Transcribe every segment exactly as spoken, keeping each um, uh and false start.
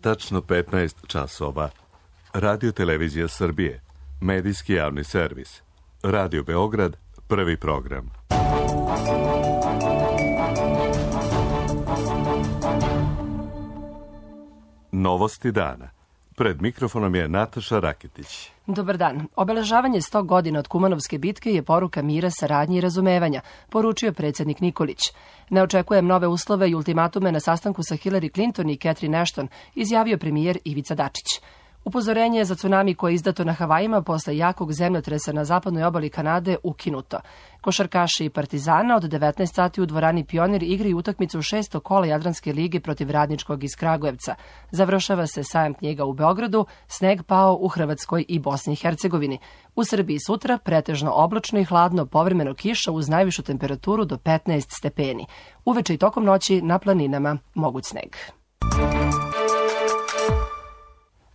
tačno petnaest časova. Radio Televizija Srbije, medijski javni servis. Radio Beograd, prvi program. Novosti dana. Pred mikrofonom je Nataša Raketić. Dobar dan. Obeležavanje sto godina od Kumanovske bitke je poruka mira, saradnje i razumevanja, poručio predsjednik Nikolić. Ne očekujem nove uslove i ultimatume na sastanku sa Hillary Clinton i Catherine Ashton, izjavio premijer Ivica Dačić. Upozorenje za tsunami koje je izdato na Havajima posle jakog zemljotresa na zapadnoj obali Kanade ukinuto. Košarkaši i Partizana od devetnaest sati u dvorani Pionir igraju utakmicu u šesto kola Jadranske lige protiv Radničkog iz Kragujevca. Završava se sajam knjiga u Beogradu, sneg pao u Hrvatskoj i Bosni i Hercegovini. U Srbiji sutra pretežno oblačno i hladno, povremeno kiša uz najvišu temperaturu do petnaest stepeni. Uveče i tokom noći na planinama moguć sneg.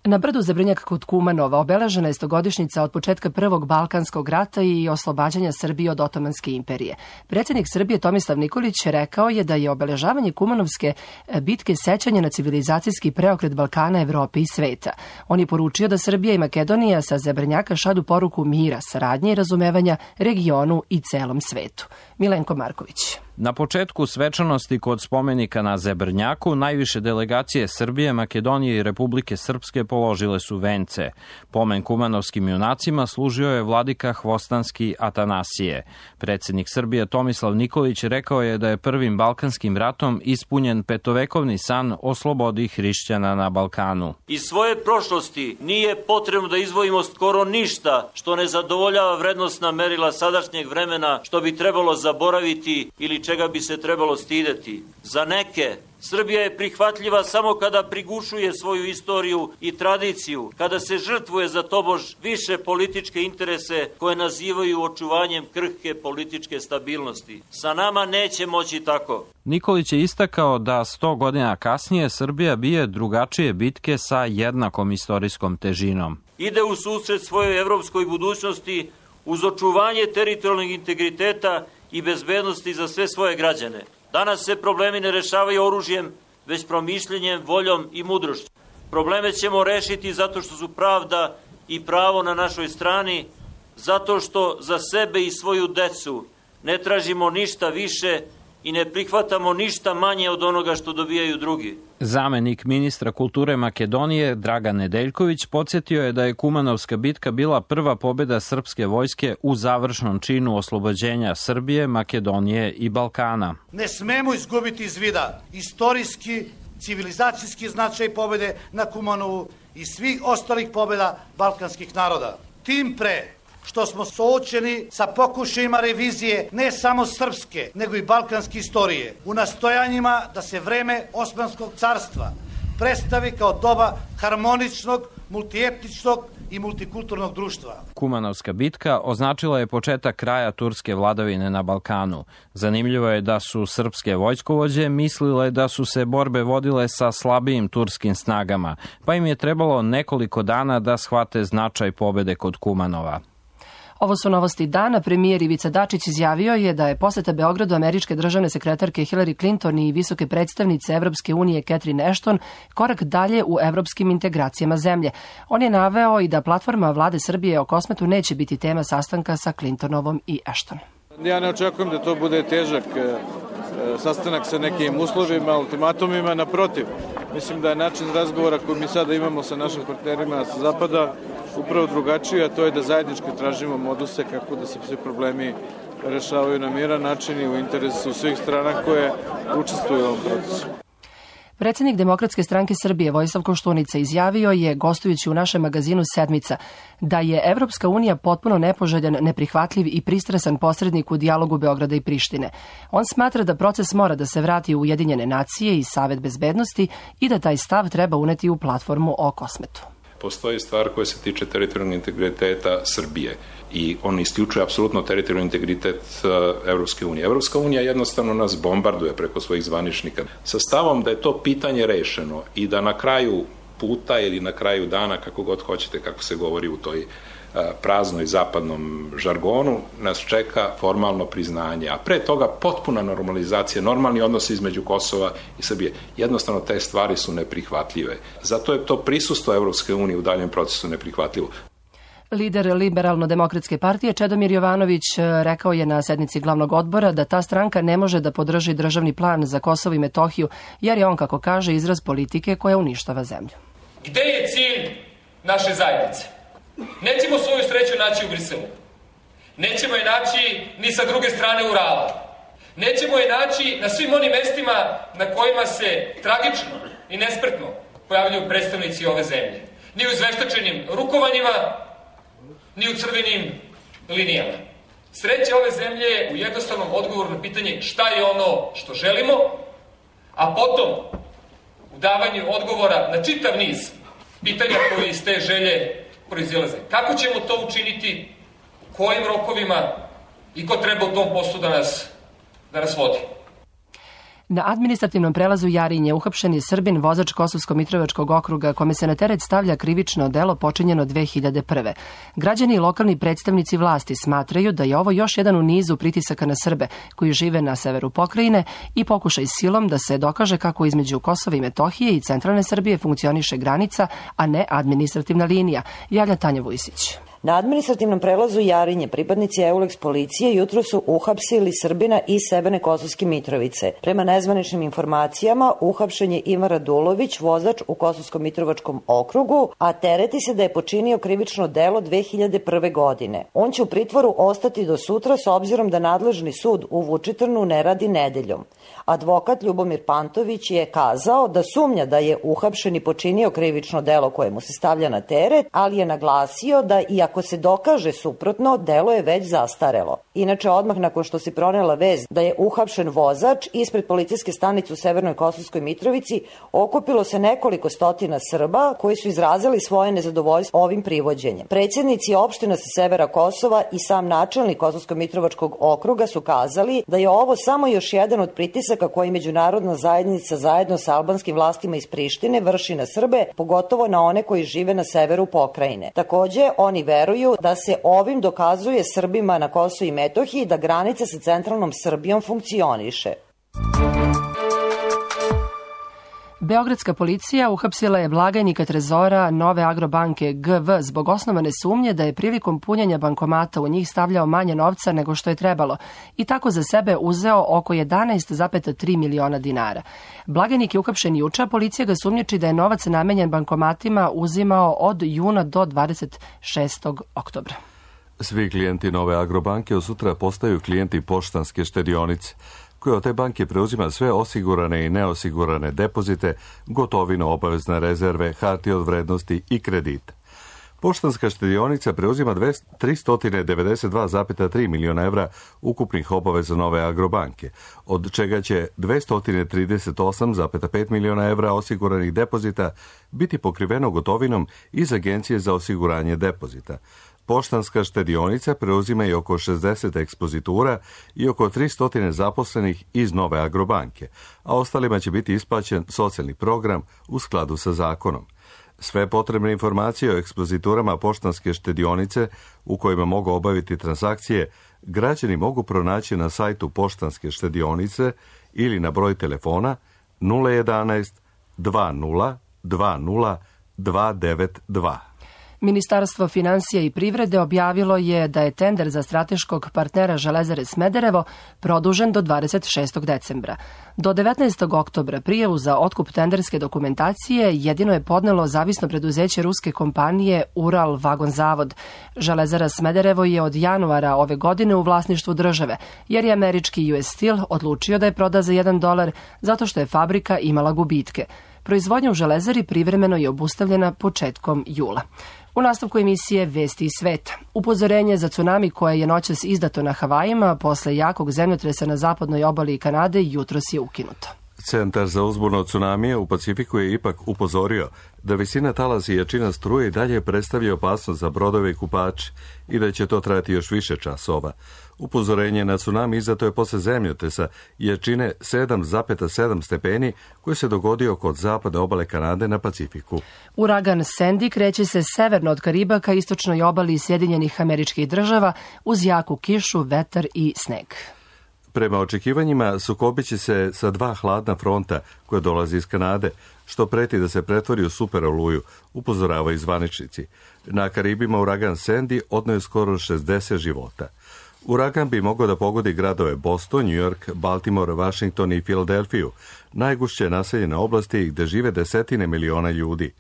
Na brdu Zebrnjak kod Kumanova obeležena je stogodišnjica od početka Prvog Balkanskog rata i oslobađanja Srbije od Otomanske imperije. Predsjednik Srbije Tomislav Nikolić rekao je da je obeležavanje Kumanovske bitke sećanje na civilizacijski preokret Balkana, Evrope i sveta. On je poručio da Srbija i Makedonija sa Zebrnjaka šalju poruku mira, saradnje i razumevanja regionu i celom svetu. Milenko Marković. Na početku svečanosti kod spomenika na Zebrnjaku najviše delegacije Srbije, Makedonije i Republike Srpske položile su vence. Pomen kumanovskim junacima služio je vladika Hvostanski Atanasije. Predsjednik Srbije Tomislav Nikolić rekao je da je prvim Balkanskim ratom ispunjen petovekovni san o slobodi hrišćana na Balkanu. Iz svoje prošlosti nije potrebno da izdvojimo skoro ništa što ne zadovoljava vrednosna merila sadašnjeg vremena, što bi trebalo zaboraviti ili čega bi se trebalo stideti. Za neke, Srbija je prihvatljiva samo kada prigušuje svoju istoriju i tradiciju, kada se žrtvuje za tobož više političke interese koje nazivaju očuvanjem krhke političke stabilnosti. Sa nama neće moći tako. Nikolić je istakao da sto godina kasnije Srbija bije drugačije bitke sa jednakom istorijskom težinom. Ide u susret svojoj evropskoj budućnosti uz očuvanje teritorijalnog integriteta i bezbednosti za sve svoje građane. Danas se problemi ne rešavaju oružjem, već promišljenjem, voljom i mudrošću. Probleme ćemo rešiti zato što su pravda i pravo na našoj strani, zato što za sebe i svoju decu ne tražimo ništa više i ne prihvatamo ništa manje od onoga što dobijaju drugi. Zamenik ministra kulture Makedonije Dragan Nedeljković podsjetio je da je Kumanovska bitka bila prva pobjeda srpske vojske u završnom činu oslobođenja Srbije, Makedonije i Balkana. Ne smemo izgubiti iz vida istorijski, civilizacijski značaj pobjede na Kumanovu i svih ostalih pobjeda balkanskih naroda. Tim pre što smo suočeni sa pokušajima revizije ne samo srpske, nego i balkanske istorije, u nastojanjima da se vreme Osmanskog carstva predstavi kao doba harmoničnog, multietničnog i multikulturnog društva. Kumanovska bitka označila je početak kraja turske vladavine na Balkanu. Zanimljivo je da su srpske vojskovođe mislile da su se borbe vodile sa slabijim turskim snagama, pa im je trebalo nekoliko dana da shvate značaj pobjede kod Kumanova. Ovo su novosti dana. Premijer Ivica Dačić izjavio je da je poseta Beogradu američke državne sekretarke Hillary Clinton i visoke predstavnice Evropske unije Catherine Ashton korak dalje u evropskim integracijama zemlje. On je naveo i da platforma vlade Srbije o Kosmetu neće biti tema sastanka sa Clintonovom i Ashton. Ja ne očekujem da to bude težak sastanak sa nekim uslovima, ultimatumima, naprotiv. Mislim da je način razgovora koji mi sada imamo sa našim partnerima sa Zapada upravo drugačiji, a to je da zajednički tražimo moduse kako da se svi problemi rešavaju na miran način i u interesu svih strana koje učestvuju u ovom procesu. Predsjednik Demokratske stranke Srbije Vojislav Koštunica izjavio je, gostujući u našem magazinu Sedmica, da je Evropska unija potpuno nepoželjan, neprihvatljiv i pristrasan posrednik u dijalogu Beograda i Prištine. On smatra da proces mora da se vrati u Ujedinjene nacije i Savet bezbednosti i da taj stav treba uneti u platformu o Kosmetu. Postoji stvar koja se tiče teritorijalnog integriteta Srbije i on isključuje apsolutno teritorijalni integritet Evropske unije. Evropska unija jednostavno nas bombarduje preko svojih zvaničnika sa stavom da je to pitanje rešeno i da na kraju puta ili na kraju dana, kako god hoćete, kako se govori u toj praznoj zapadnom žargonu, nas čeka formalno priznanje, a pre toga potpuna normalizacija, normalni odnosi između Kosova i Srbije. Jednostavno te stvari su neprihvatljive. Zato je to prisustvo Evropske unije u daljem procesu neprihvatljivo. Lider Liberalno-demokratske partije Čedomir Jovanović rekao je na sednici glavnog odbora da ta stranka ne može da podrži državni plan za Kosovo i Metohiju, jer je on, kako kaže, izraz politike koja uništava zemlju. Gde je cilj naše zajednice? Nećemo svoju sreću naći u Briselu. Nećemo je naći ni sa druge strane Urala. Nećemo je naći na svim onim mestima na kojima se tragično i nespretno pojavljaju predstavnici ove zemlje. Ni u izveštačenim rukovanjima, ni u crvenim linijama. Sreća ove zemlje je u jednostavnom odgovoru na pitanje šta je ono što želimo, a potom u davanju odgovora na čitav niz pitanja koji iz te želje proizilaze. Kako ćemo to učiniti, kojim rokovima i ko treba u tom poslu da nas, da nas vodi? Na administrativnom prelazu Jarinje uhapšen je Srbin, vozač Kosovsko-Mitrovačkog okruga, kome se na teret stavlja krivično delo počinjeno dve hiljade prve. Građani i lokalni predstavnici vlasti smatraju da je ovo još jedan u nizu pritisaka na Srbe koji žive na severu pokrajine i pokušaj silom da se dokaže kako između Kosova i Metohije i centralne Srbije funkcioniše granica, a ne administrativna linija, javlja Tanja Vujsić. Na administrativnom prelazu Jarinje pripadnici Euleks policije jutro su uhapsili Srbina iz Severne Kosovske Mitrovice. Prema nezvaničnim informacijama, uhapšen je Ivan Radulović, vozač u Kosovsko-Mitrovačkom okrugu, a tereti se da je počinio krivično delo dve hiljade prve. godine. On će u pritvoru ostati do sutra s obzirom da nadležni sud u Vučitrnu ne radi nedeljom. Advokat Ljubomir Pantović je kazao da sumnja da je uhapšen i počinio krivično delo koje mu se stavlja na teret, ali je naglasio da i ako se dokaže suprotno, delo je već zastarelo. Inače, odmah nakon što se pronela vez da je uhapšen vozač, ispred policijske stanice u Severnoj Kosovskoj Mitrovici okupilo se nekoliko stotina Srba koji su izrazili svoje nezadovoljstvo ovim privođenjem. Predsjednici opština sa severa Kosova i sam načelnik Kosovsko-Mitrovačkog okruga su kazali da je ovo samo još jedan od pritisaka koji međunarodna zajednica zajedno sa albanskim vlastima iz Prištine vrši na Srbe, pogotovo na one koji žive na severu pokrajine. Takođe, oni veruju da se ovim dokazuje Srbima na Kosovu i Metohiji da granica sa centralnom Srbijom funkcioniše. Beogradska policija uhapsila je blagajnika trezora Nove Agrobanke G V zbog osnovane sumnje da je prilikom punjenja bankomata u njih stavljao manje novca nego što je trebalo i tako za sebe uzeo oko jedanaest zarez tri miliona dinara. Blagajnik je uhapšen juče, a policija ga sumnjiči da je novac namenjen bankomatima uzimao od juna do dvadeset šestog oktobra. Svi klijenti Nove Agrobanke od sutra postaju klijenti Poštanske štedionice, koja od te banke preuzima sve osigurane i neosigurane depozite, gotovinu, obavezne rezerve, hartije od vrednosti i kredite. Poštanska štedionica preuzima tristo devedeset dva zarez tri miliona evra ukupnih obaveza Nove Agrobanke, od čega će dvesta trideset osam zarez pet miliona evra osiguranih depozita biti pokriveno gotovinom iz Agencije za osiguranje depozita. Poštanska štedionica preuzima i oko šezdeset ekspozitura i oko tristo zaposlenih iz Nove Agrobanke, a ostalima će biti isplaćen socijalni program u skladu sa zakonom. Sve potrebne informacije o ekspoziturama Poštanske štedionice u kojima mogu obaviti transakcije građani mogu pronaći na sajtu Poštanske štedionice ili na broj telefona nula jedanaest dva nula dva nula dva devet dva. Ministarstvo finansija i privrede objavilo je da je tender za strateškog partnera Železare Smederevo produžen do dvadeset šestog decembra. Do devetnaestog oktobra prijavu za otkup tenderske dokumentacije jedino je podnelo zavisno preduzeće ruske kompanije Ural Vagon Zavod. Železara Smederevo je od januara ove godine u vlasništvu države, jer je američki U S Steel odlučio da je proda za jedan dolar zato što je fabrika imala gubitke. Proizvodnja u Železari privremeno je obustavljena početkom jula. U nastavku emisije Vesti iz sveta. Upozorenje za tsunami koje je noćas izdato na Havajima posle jakog zemljotresa na zapadnoj obali Kanade jutros je ukinuto. Centar za uzbunu od tsunamija u Pacifiku je ipak upozorio da visina talasa i jačina struje i dalje predstavlja opasnost za brodove i kupače i da će to trajati još više časova. Upozorenje na tsunami izdato je posle zemljotresa jačine sedam zarez sedam stepeni koji se dogodio kod zapadne obale Kanade na Pacifiku. Uragan Sandy kreće se severno od Kariba ka istočnoj obali Sjedinjenih Američkih Država uz jaku kišu, vetar i sneg. Prema očekivanjima sukobit će se sa dva hladna fronta koja dolazi iz Kanade, što preti da se pretvori u super oluju, upozoravaju zvaničnici. Na Karibima uragan Sandy odneo je skoro šezdeset života. Uragan bi mogao da pogodi gradove Boston, New York, Baltimore, Washington i Filadelfiju, najgušće naseljene oblasti gde žive desetine miliona ljudi.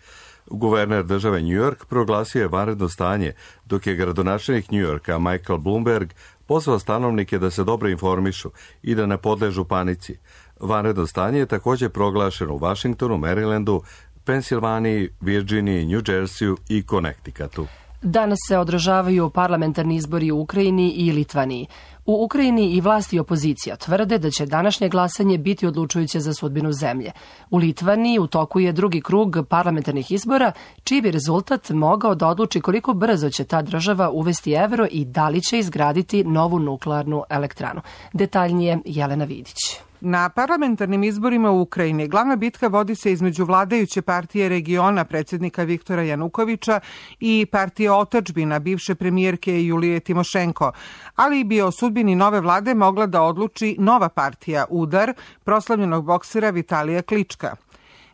Guverner države New York proglasio je vanredno stanje, dok je gradonačelnik New Yorka Michael Bloomberg pozvao stanovnike da se dobro informišu i da ne podležu panici. Vanredno stanje je također proglašeno u Washingtonu, Marylandu, Pensilvaniji, Virginiji, New Jerseyu i Connecticutu. Danas se održavaju parlamentarni izbori u Ukrajini i Litvaniji. U Ukrajini i vlasti i opozicija tvrde da će današnje glasanje biti odlučujuće za sudbinu zemlje. U Litvaniji u toku je drugi krug parlamentarnih izbora, čiji bi rezultat mogao da odluči koliko brzo će ta država uvesti evro i da li će izgraditi novu nuklearnu elektranu. Detaljnije Jelena Vidić. Na parlamentarnim izborima u Ukrajini glavna bitka vodi se između vladajuće partije regiona predsjednika Viktora Janukovića i partije Otadžbina bivše premijerke Julije Timošenko, ali bi o sudbini nove vlade mogla da odluči nova partija Udar proslavljenog boksera Vitalija Klička.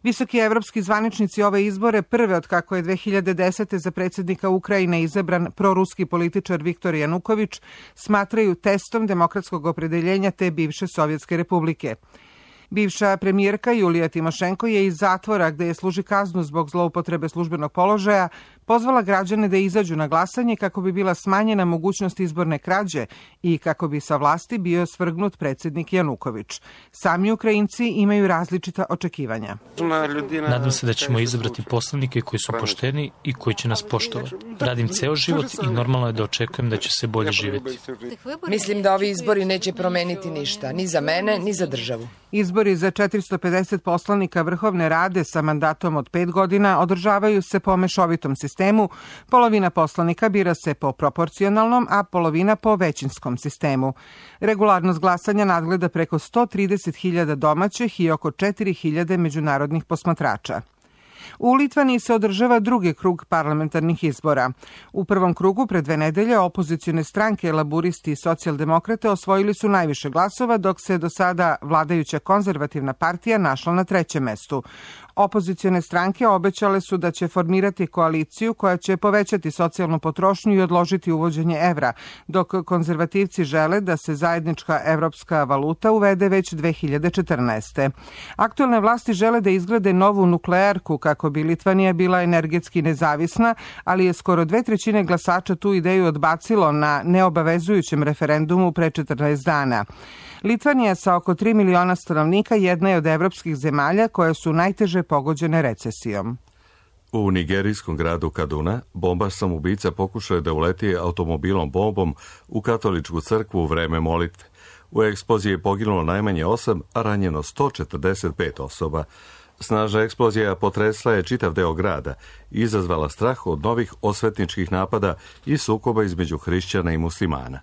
Visoki evropski zvaničnici ove izbore, prve od kako je dve hiljade desete za predsjednika Ukrajine izabran proruski političar Viktor Januković, smatraju testom demokratskog opredeljenja te bivše Sovjetske republike. Bivša premijerka Julija Timošenko je iz zatvora, gde je služi kaznu zbog zloupotrebe službenog položaja, pozvala građane da izađu na glasanje kako bi bila smanjena mogućnost izborne krađe i kako bi sa vlasti bio svrgnut predsjednik Januković. Sami Ukrajinci imaju različita očekivanja. Nadam se da ćemo izabrati poslanike koji su pošteni i koji će nas poštovati. Radim ceo život i normalno je da očekujem da će se bolje živjeti. Mislim da ovi izbori neće promeniti ništa, ni za mene, ni za državu. Izbori za četiristo pedeset poslanika Vrhovne rade sa mandatom od pet godina održavaju se po mešovitom sistemu. Polovina poslanika bira se po proporcionalnom, a polovina po većinskom sistemu. Regularnost glasanja nadgleda preko sto trideset hiljada domaćih i oko četiri hiljade međunarodnih posmatrača. U Litvaniji se održava drugi krug parlamentarnih izbora. U prvom krugu pre dve nedelje opozicione stranke, laburisti i socijaldemokrate osvojili su najviše glasova, dok se do sada vladajuća konzervativna partija našla na trećem mestu. Opozicione stranke obećale su da će formirati koaliciju koja će povećati socijalnu potrošnju i odložiti uvođenje evra, dok konzervativci žele da se zajednička evropska valuta uvede već dve hiljade četrnaeste. Aktuelne vlasti žele da izgrade novu nuklearku kako bi Litvanija bila energetski nezavisna, ali je skoro dve trećine glasača tu ideju odbacilo na neobavezujućem referendumu pre četrnaest dana. Litvanija sa oko tri miliona stanovnika jedna je od evropskih zemalja koje su najteže pogođene recesijom. U nigerijskom gradu Kaduna bombaš samoubica pokušao je da uleti automobilom bombom u katoličku crkvu u vreme molitve. U eksploziji je poginulo najmanje osam, a ranjeno sto četrdeset pet osoba. Snažna eksplozija potresla je čitav deo grada i izazvala strah od novih osvetničkih napada i sukoba između hrišćana i muslimana.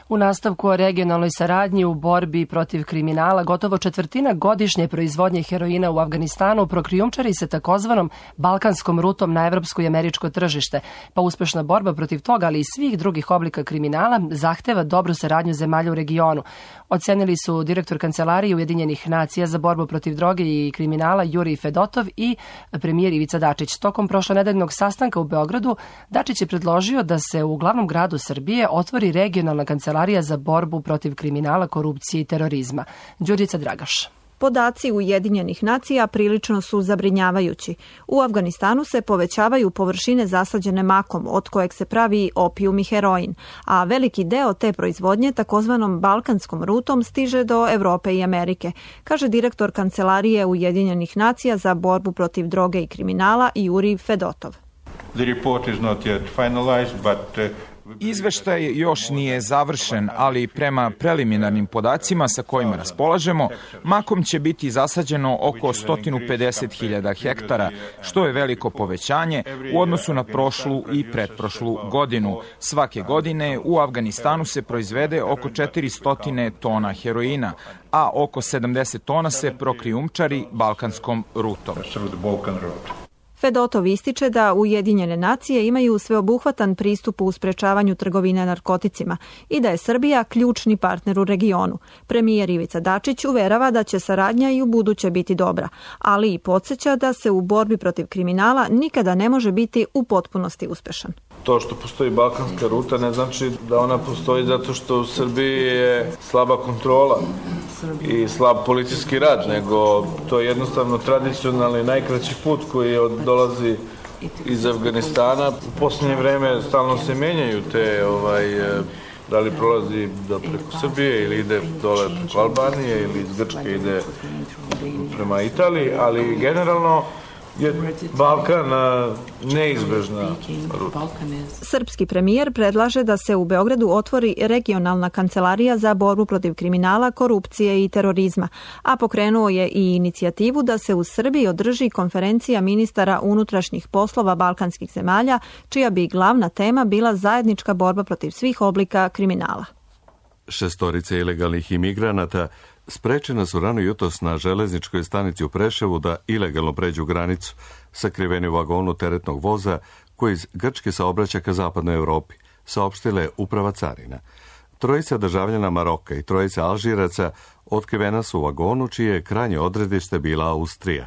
U nastavku o regionalnoj saradnji u borbi protiv kriminala, gotovo četvrtina godišnje proizvodnje heroina u Afganistanu prokrijumčari se takozvanom balkanskom rutom na evropsko i američko tržište, pa uspešna borba protiv toga, ali i svih drugih oblika kriminala, zahteva dobru saradnju zemalja u regionu. Ocenili su direktor Kancelarije Ujedinjenih nacija za borbu protiv droge i kriminala Jurij Fedotov i premijer Ivica Dačić. Tokom prošlonedeljnog sastanka u Beogradu, Dačić je predložio da se u glavnom gradu Srbije otvori regionalna kancelarija za borbu protiv kriminala, korupcije i terorizma. Đurđica Dragaš. Podaci Ujedinjenih nacija prilično su zabrinjavajući. U Afganistanu se povećavaju površine zasađene makom, od kojeg se pravi opijum i heroin, a veliki deo te proizvodnje takozvanom balkanskom rutom stiže do Evrope i Amerike, kaže direktor Kancelarije Ujedinjenih nacija za borbu protiv droge i kriminala Jurij Fedotov. The report is not yet finalized, but uh... Izveštaj još nije završen, ali prema preliminarnim podacima sa kojima raspolažemo, makom će biti zasađeno oko sto pedeset hiljada hektara, što je veliko povećanje u odnosu na prošlu i pretprošlu godinu. Svake godine u Avganistanu se proizvede oko četiristo tona heroina, a oko sedamdeset tona se prokrijumčari balkanskom rutom. Fedotov ističe da Ujedinjene nacije imaju sveobuhvatan pristup u sprečavanju trgovine narkoticima i da je Srbija ključni partner u regionu. Premijer Ivica Dačić uverava da će saradnja i u buduće biti dobra, ali i podsjeća da se u borbi protiv kriminala nikada ne može biti u potpunosti uspešan. To što postoji balkanska ruta ne znači da ona postoji zato što u Srbiji je slaba kontrola i slab policijski rad, nego to je jednostavno tradicionalni najkraći put koji dolazi iz Afganistana. U posljednje vreme stalno se menjaju te, ovaj, da li prolazi da preko Srbije ili ide dole preko Albanije ili iz Grčke ide prema Italiji, ali generalno je Balkan neizbežna ruta. Srpski premijer predlaže da se u Beogradu otvori regionalna kancelarija za borbu protiv kriminala, korupcije i terorizma, a pokrenuo je i inicijativu da se u Srbiji održi konferencija ministara unutrašnjih poslova balkanskih zemalja, čija bi glavna tema bila zajednička borba protiv svih oblika kriminala. Šestorice ilegalnih imigranata sprečena su rano jutros na železničkoj stanici u Preševu da ilegalno pređu granicu, sakriveni u vagonu teretnog voza koji iz Grčke saobraća ka zapadnoj Evropi, saopštila je uprava carina. Trojica državljana Maroka i trojica Alžiraca otkrivena su u vagonu čije je krajnje odredište bila Austrija.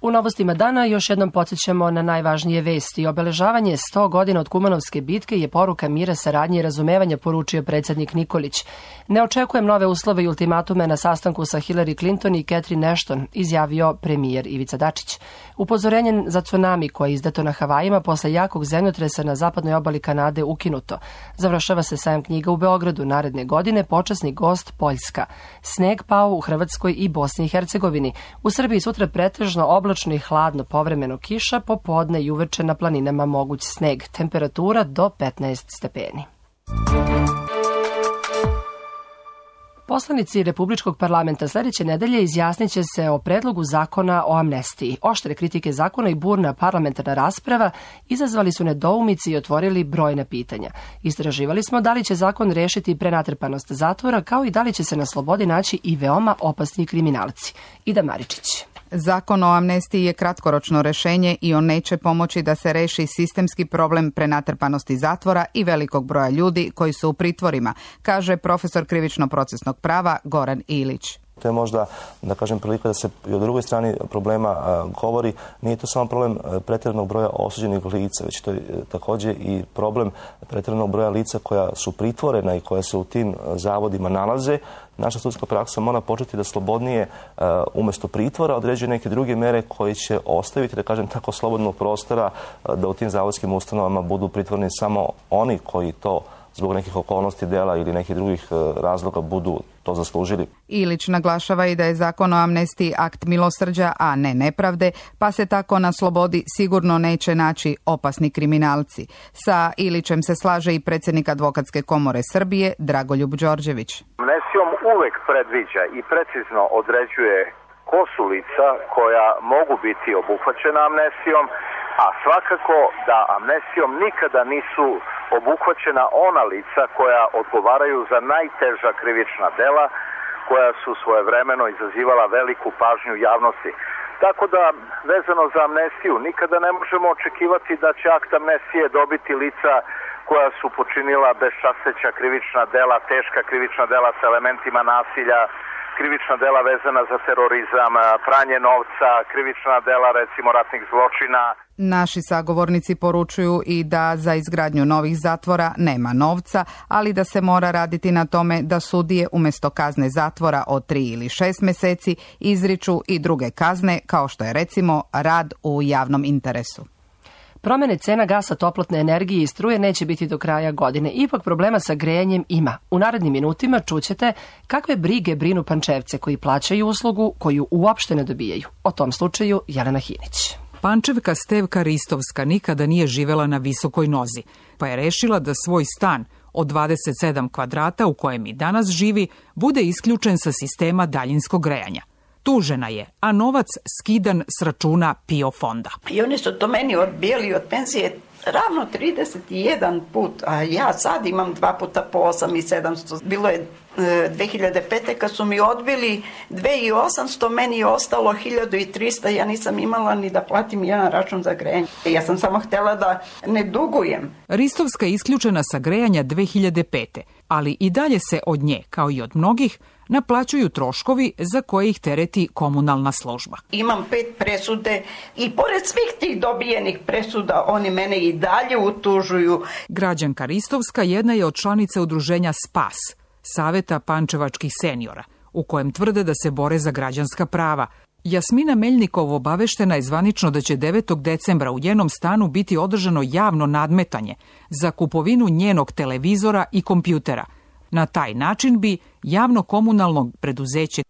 U novostima dana još jednom podsjećamo na najvažnije vesti. Obeležavanje sto godina od Kumanovske bitke je poruka mira, saradnje i razumevanja, poručio predsjednik Nikolić. Ne očekujem nove uslove i ultimatume na sastanku sa Hillary Clinton i Catherine Ashton, izjavio premijer Ivica Dačić. Upozorenje za tsunami koje je izdato na Havajima posle jakog zemljotresa na zapadnoj obali Kanade ukinuto. Završava se sajam knjiga u Beogradu. Naredne godine počasni gost Poljska. Sneg pao u Hrvatskoj i Bosni i Hercegovini. U Srbiji sutra pretežno oblačno i hladno, povremeno kiša, popodne i uveče na planinama moguć sneg. Temperatura do petnaest stepeni. Poslanici Republičkog parlamenta sljedeće nedelje izjasnit će se o predlogu zakona o amnestiji. Oštre kritike zakona i burna parlamentarna rasprava izazvali su nedoumici i otvorili brojna pitanja. Istraživali smo da li će zakon rešiti prenatrpanost zatvora, kao i da li će se na slobodi naći i veoma opasni kriminalci. Ida Maričić. Zakon o amnestiji je kratkoročno rešenje i on neće pomoći da se reši sistemski problem prenatrpanosti zatvora i velikog broja ljudi koji su u pritvorima, kaže profesor krivično-procesnog prava Goran Ilić. To je možda, da kažem, prilika da se i o drugoj strani problema a, govori. Nije to samo problem pretjeranog broja osuđenih lica, već to je također i problem pretjeranog broja lica koja su pritvorena i koja se u tim zavodima nalaze. Naša sudska praksa mora početi da slobodnije a, umjesto pritvora određuje neke druge mere koje će ostaviti, da kažem, tako slobodnog prostora a, da u tim zavodskim ustanovama budu pritvoreni samo oni koji to zbog nekih okolnosti dela ili nekih drugih razloga budu to zaslužili. Ilić naglašava i da je zakon o amnestiji akt milosrđa, a ne nepravde, pa se tako na slobodi sigurno neće naći opasni kriminalci. Sa Ilićem se slaže i predsjednik Advokatske komore Srbije, Dragoljub Đorđević. Amnestijom uvek predviđa i precizno određuje ko su lica koja mogu biti obuhvaćena amnestijom, a svakako da amnestijom nikada nisu obuhvaćena ona lica koja odgovaraju za najteža krivična dela koja su svojevremeno izazivala veliku pažnju javnosti. Tako da, vezano za amnestiju, nikada ne možemo očekivati da će akt amnestije dobiti lica koja su počinila bezčasteća krivična dela, teška krivična dela sa elementima nasilja, krivična dela vezana za terorizam, pranje novca, krivična dela recimo ratnih zločina. Naši sagovornici poručuju i da za izgradnju novih zatvora nema novca, ali da se mora raditi na tome da sudije umjesto kazne zatvora od tri ili šest mjeseci izriču i druge kazne, kao što je recimo rad u javnom interesu. Promjene cena gasa, toplotne energije i struje neće biti do kraja godine. Ipak problema sa grejanjem ima. U narednim minutima čućete kakve brige brinu Pančevce koji plaćaju uslugu koju uopšte ne dobijaju. O tom slučaju Jelena Hinić. Pančevka Stevka Ristovska nikada nije živela na visokoj nozi. pa je rešila da svoj stan od dvadeset sedam kvadrata u kojem i danas živi bude isključen sa sistema daljinskog grejanja. Tužena je, a novac skidan s računa PIO fonda. I oni su to meni odbijali od penzije ravno trideset jedan put, a ja sad imam dva puta po osam i sedamsto. Bilo je dve hiljade pete kad su mi odbili dve hiljade osamsto, meni je ostalo hiljadu trista, ja nisam imala ni da platim jedan račun za grejanje. Ja sam samo htela da ne dugujem. Ristovska je isključena sa grejanja dve hiljade pete, ali i dalje se od nje, kao i od mnogih, naplaćuju troškovi za koje ih tereti komunalna služba. Imam pet presude i pored svih tih dobijenih presuda oni mene i dalje utužuju. Građanka Ristovska jedna je od članica udruženja SPAS, Saveta pančevačkih seniora, u kojem tvrde da se bore za građanska prava. Jasmina Meljnikov obaveštena je zvanično da će devetog decembra u njenom stanu biti održano javno nadmetanje za kupovinu njenog televizora i kompjutera. Na taj način bi javno komunalno preduzeće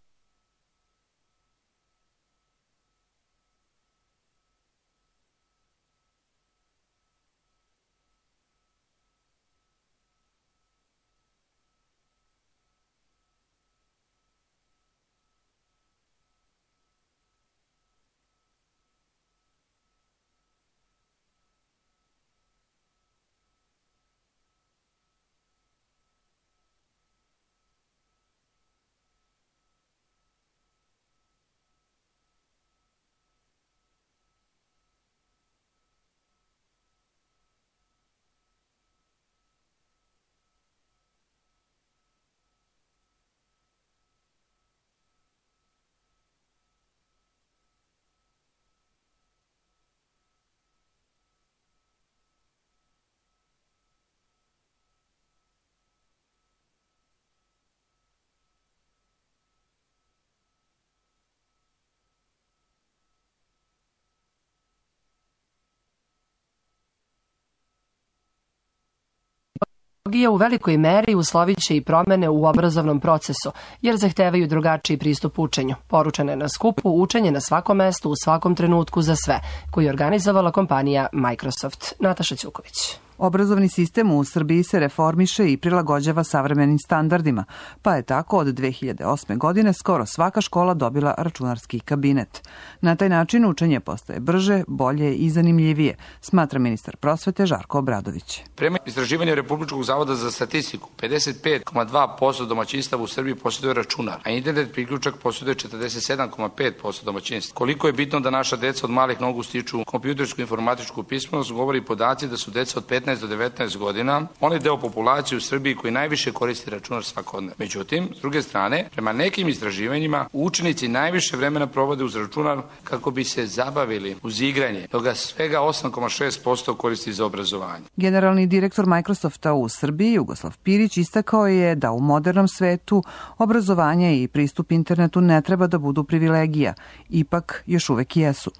u velikoj meri uslovit će i promene u obrazovnom procesu, jer zahtevaju drugačiji pristup učenju. Poručeno je na skupu Učenje na svakom mestu, u svakom trenutku za sve, koji je organizovala kompanija Microsoft. Nataša Ćuković. Obrazovni sistem u Srbiji se reformiše i prilagođava savremenim standardima, pa je tako od dve hiljade osme. godine skoro svaka škola dobila računarski kabinet. Na taj način učenje postaje brže, bolje i zanimljivije, smatra ministar prosvete Žarko Obradović. Prema istraživanju Republičkog zavoda za statistiku, pedeset pet zarez dva posto domaćinstava u Srbiji posjeduje računar, a internet priključak posjeduje četrdeset sedam zarez pet posto domaćinstva. Koliko je bitno da naša deca od malih nogu stiču kompjutersku informatičku pismenost, govori podaci da su deca od petnaest do devetnaest godina onaj deo populacije u Srbiji koji najviše koristi računar svakodnevno. Međutim, s druge strane, prema nekim istraživanjima, učenici najviše vremena provode uz računar kako bi se zabavili uz igranje, dok ga svega osam zarez šest posto koristi za obrazovanje. Generalni direktor Microsofta u Srbiji, Jugoslav Pirić, istakao je da u modernom svetu obrazovanje i pristup internetu ne treba da budu privilegija, ipak još uvek jesu.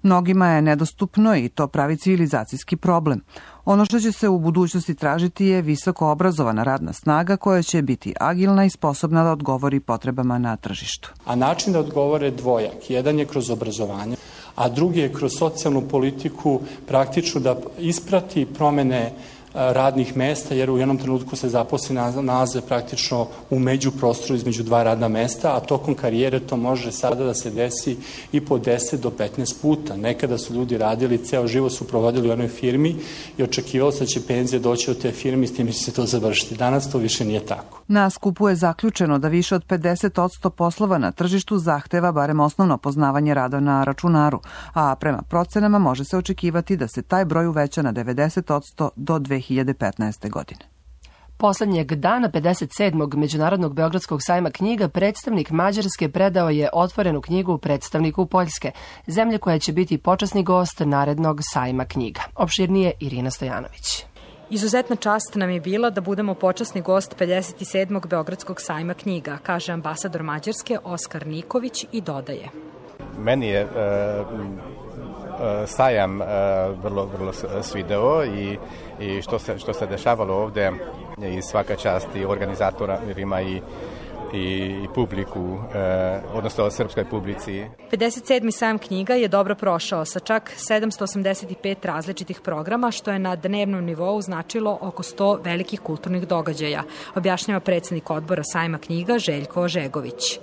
Mnogima je nedostupno i to pravi civilizacijski problem. Ono što će se u budućnosti tražiti je visoko obrazovana radna snaga koja će biti agilna i sposobna da odgovori potrebama na tržištu. A način da odgovore dvojak. Jedan je kroz obrazovanje, a drugi je kroz socijalnu politiku praktično da isprati promene radnih mesta, jer u jednom trenutku se zaposli nalaze praktično u međuprostoru između dva radna mesta, a tokom karijere to može sada da se desi i po deset do petnaest puta. Nekada su ljudi radili, ceo život su provodili u jednoj firmi i očekivalo se da će penzija doći od te firme i s tim će se to završiti. Danas to više nije tako. Na skupu je zaključeno da više od pedeset posto poslova na tržištu zahteva barem osnovno poznavanje rada na računaru, a prema procenama može se očekivati da se taj broj uveća na devedeset posto do dve hiljade petnaeste. godine. Poslednjeg dana pedeset sedmog Međunarodnog Beogradskog sajma knjiga predstavnik Mađarske predao je otvorenu knjigu predstavniku Poljske, zemlje koja će biti počasni gost narednog sajma knjiga. Opširnije Irina Stojanović. Izuzetna čast nam je bila da budemo počasni gost pedeset sedmog Beogradskog sajma knjiga, kaže ambasador Mađarske Oskar Niković i dodaje. Meni je uh, sajam uh, vrlo, vrlo svideo i, i što, se, što se dešavalo ovde i svaka čast i organizatorima i i publiku, odnosno srpskoj publici. pedeset sedmi sajam knjiga je dobro prošao sa čak sedamsto osamdeset pet različitih programa, što je na dnevnom nivou značilo oko sto velikih kulturnih događaja, objašnjava predsednik odbora sajma knjiga Željko Ožegović.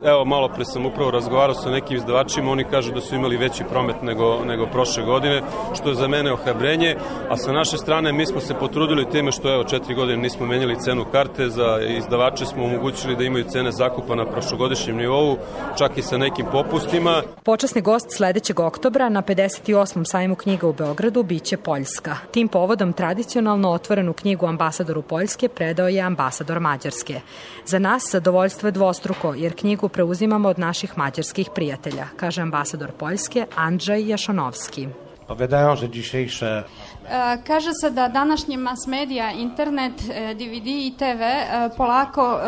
Evo, malo pre sam upravo razgovarao sa nekim izdavačima, oni kažu da su imali veći promet nego, nego prošle godine, što je za mene ohrabrenje, a sa naše strane mi smo se potrudili time što evo četiri godine nismo menjali cenu karte, za izdavače smo omogućili da imaju cene zakupa na prošlogodišnjem nivou, čak i sa nekim popustima. Počasni gost sledećeg oktobra na pedeset osmom sajmu knjiga u Beogradu biće Poljska. Tim povodom tradicionalno otvorenu knjigu ambasadoru Poljske predao je ambasador Mađarske. Za nas zadovoljstvo je dvostruko, jer knjigu preuzimamo od naših mađarskih prijatelja, kaže ambasador Poljske Andrzej Jaszonovski. Powiadają, że dzisiejsze... Kaže se da današnji mass medija, internet, D V D i T V polako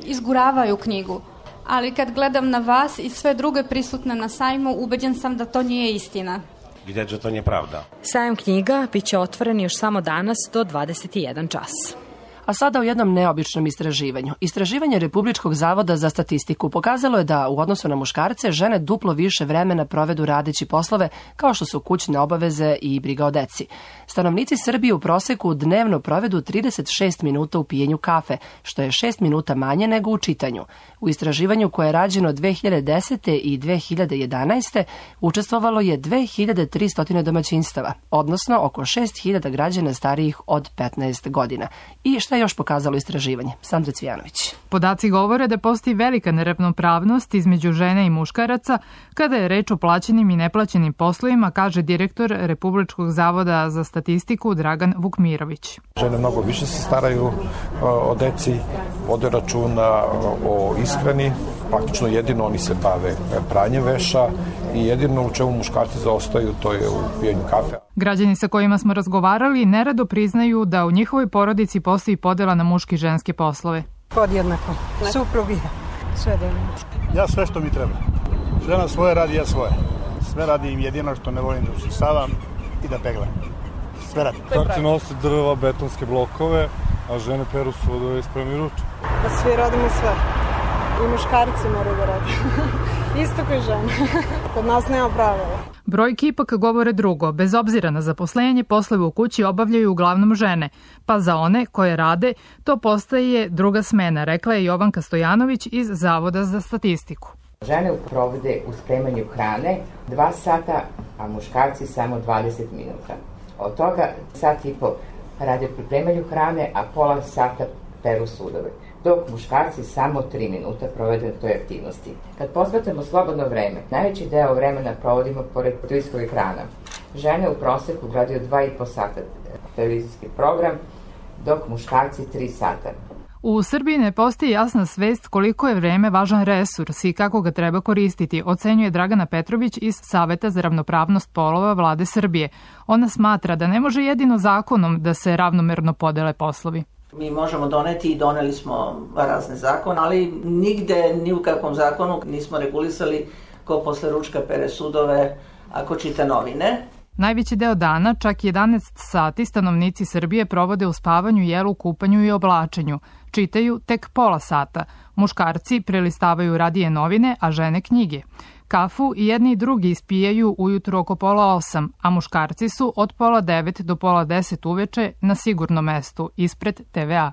izguravaju knjigu. Ali kad gledam na vas i sve druge prisutne na sajmu, ubeđen sam da to nije istina. Vidjet, že to nije pravda. Sajam knjiga biće otvoren još samo danas do dvadeset jedan čas. A sada u jednom neobičnom istraživanju. Istraživanje Republičkog zavoda za statistiku pokazalo je da u odnosu na muškarce žene duplo više vremena provedu radeći poslove kao što su kućne obaveze i briga o deci. Stanovnici Srbije u proseku dnevno provedu trideset šest minuta u pijenju kafe, što je šest minuta manje nego u čitanju. U istraživanju koje je rađeno dve hiljade desete i dve hiljade jedanaeste učestvovalo je dve hiljade tristo domaćinstava, odnosno oko šest hiljada građana starijih od petnaest godina. I šta je još pokazalo istraživanje? Sandra Cvijanović. Podaci govore da postoji velika neravnopravnost između žene i muškaraca kada je reč o plaćenim i neplaćenim poslovima, kaže direktor Republičkog zavoda za statistiku Dragan Vukmirović. Žene mnogo više se staraju o deci, vode računa o ishrani, praktično jedino oni se bave pranjem veša i jedino u čemu muškarci zaostaju to je u pijenju kafe. Građani sa kojima smo razgovarali nerado priznaju da u njihovoj porodici postoji podela na muške i ženske poslove. Podjednako. Suprug je. Sve da ja sve što mi treba. Žena svoje radi, ja svoje. Sve radim, jedino što ne volim da usisavam i da peglam. Sve radim. Muškarci nose drva, betonske blokove, a žene peru sudove i spremi ruče. Pa svi radimo sve. I muškarci moraju da radi. Isto kao i žene. Kod nas nema pravila. Brojke ipak govore drugo. Bez obzira na zaposlenje, poslove u kući obavljaju uglavnom žene, pa za one koje rade, to postaje druga smena, rekla je Jovanka Stojanović iz Zavoda za statistiku. Žene provode u spremanju hrane dva sata, a muškarci samo dvadeset minuta. Od toga sat i po rade u pripremanju hrane, a pola sata peru sudove, dok muškarci samo tri minuta provede na toj aktivnosti. Kad posvetimo slobodno vreme, najveći deo vremena provodimo pored televizijskog ekrana. Žene u proseku gledaju dva i po sata televizijski program, dok muškarci tri sata. U Srbiji ne postoji jasna svest koliko je vreme važan resurs i kako ga treba koristiti, ocenjuje Dragana Petrović iz Saveta za ravnopravnost polova Vlade Srbije. Ona smatra da ne može jedino zakonom da se ravnomerno podele poslovi. Mi možemo doneti i doneli smo razne zakone, ali nigde, ni u kakvom zakonu nismo regulisali ko posle ručka pere sudove, ako čita novine. Najveći deo dana, čak jedanaest sati, stanovnici Srbije provode u spavanju, jelu, kupanju i oblačenju. Čitaju tek pola sata. Muškarci prelistavaju radije novine, a žene knjige. Kafu i jedni i drugi ispijaju ujutru oko pola osam, a muškarci su od pola devet do pola deset uveče na sigurnom mestu, ispred T V A.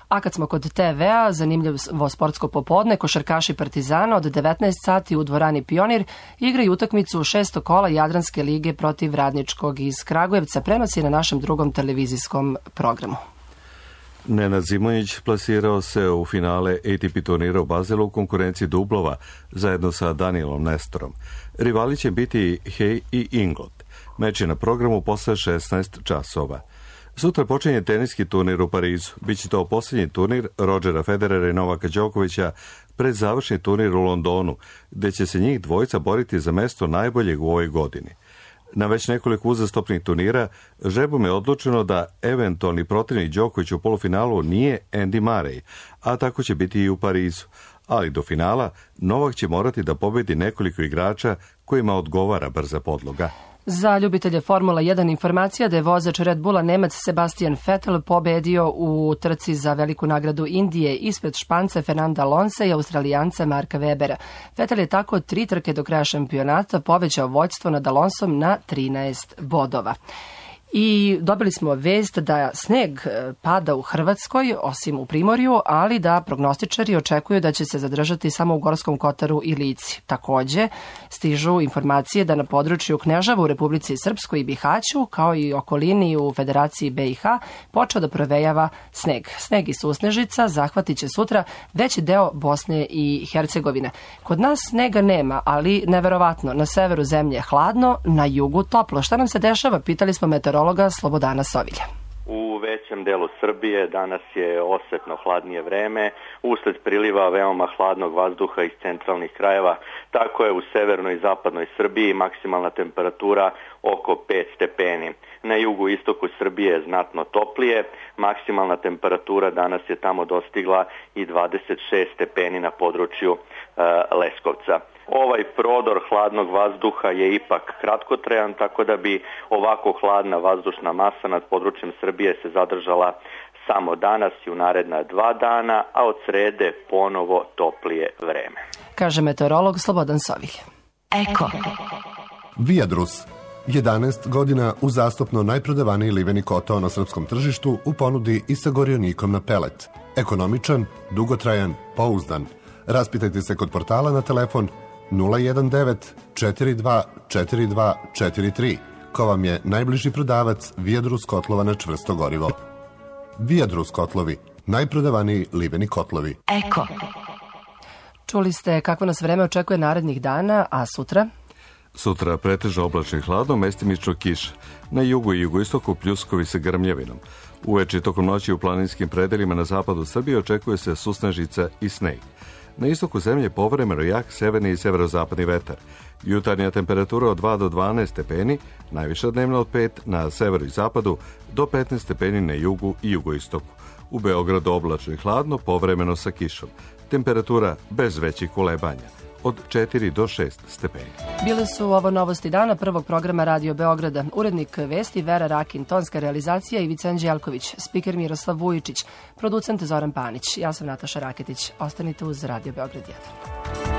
A kad smo kod T V A, zanimljivo sportsko popodne, košarkaši Partizana od devetnaest sati u dvorani Pionir igraju utakmicu šestog kola Jadranske lige protiv Radničkog iz Kragujevca. Prenos je na našem drugom televizijskom programu. Nenad Zimonjić plasirao se u finale A T P turnira u Bazelu u konkurenciji dublova zajedno sa Danielom Nestorom. Rivali će biti Hay i Inglot. Meč je na programu posle šesnaest časova. Sutra počinje teniski turnir u Parizu. Biće to posljednji turnir Rodgera Federera i Novaka Đokovića pred završni turnir u Londonu, gde će se njih dvojica boriti za mesto najboljeg u ovoj godini. Na već nekoliko uzastopnih turnira žrebom je odlučeno da eventualni protivnik Đoković u polufinalu nije Andy Murray, a tako će biti i u Parizu. Ali do finala Novak će morati da pobedi nekoliko igrača kojima odgovara brza podloga. Za ljubitelje Formula jedan informacija da je vozač Red Bulla Nemac Sebastian Vettel pobedio u trci za veliku nagradu Indije ispred Španca Fernanda Alonsa i Australijanca Marka Webera. Vettel je tako tri trke do kraja šampionata povećao vođstvo nad Alonsom na trinaest bodova. I dobili smo vest da sneg pada u Hrvatskoj, osim u Primorju, ali da prognostičari očekuju da će se zadržati samo u Gorskom Kotaru i Lici. Takođe, stižu informacije da na području Knežava u Republici Srpskoj i Bihaću, kao i okolini u Federaciji B i H, počeo da provejava sneg. Sneg i susnežica zahvatit će sutra veći deo Bosne i Hercegovine. Kod nas snega nema, ali neverovatno, na severu zemlje je hladno, na jugu toplo. Šta nam se dešava? Pitali smo meteorologa Slobodana Sovilja. U većem delu Srbije danas je osetno hladnije vreme, usled priliva veoma hladnog vazduha iz centralnih krajeva. Tako je u severnoj i zapadnoj Srbiji maksimalna temperatura oko pet stepeni. Na jugu i istoku Srbije je znatno toplije, maksimalna temperatura danas je tamo dostigla i dvadeset šest stepeni na području e, Leskovca. Ovaj prodor hladnog vazduha je ipak kratkotrajan, tako da bi ovako hladna vazdušna masa nad područjem Srbije se zadržala samo danas i u naredna dva dana, a od srede ponovo toplije vreme. Kaže meteorolog Slobodan Sovilj. Eko. Viadrus. jedanaest godina uzastopno najprodavaniji liveni kotao na srpskom tržištu u ponudi i sa gorionikom na pelet. Ekonomičan, dugotrajan, pouzdan. Raspitajte se kod portala na telefon nula jedan devet četiri dva četiri dva četiri tri, ko vam je najbliži prodavac Viadrus kotlova na čvrsto gorivo. Viadrus kotlovi, najprodavaniji liveni kotlovi. Eko. Čuli ste kako nas vreme očekuje narednih dana, a sutra? Sutra pretežno oblačno i hladno, mestimično kiša. Na jugu i jugoistoku pljuskovi sa grmljavinom. Uveče tokom noći u planinskim predelima na zapadu Srbije očekuje se susnežica i sneg. Na istoku zemlje povremeno jak severni i severozapadni vetar. Jutarnja temperatura od dva do dvanaest stepeni, najviša dnevna od pet na severu i zapadu, do petnaest stepeni na jugu i jugoistoku. U Beogradu oblačno i hladno, povremeno sa kišom. Temperatura bez većih kolebanja, od četiri do šest stepeni. Bile su ovo novosti dana prvog programa Radio Beograda. Urednik vesti Vera Rakin, tonska realizacija Ivica Anđelković, spiker Miroslav Vujičić, producent Zoran Panić. Ja sam Nataša Raketić. Ostanite uz Radio Beograd jedan.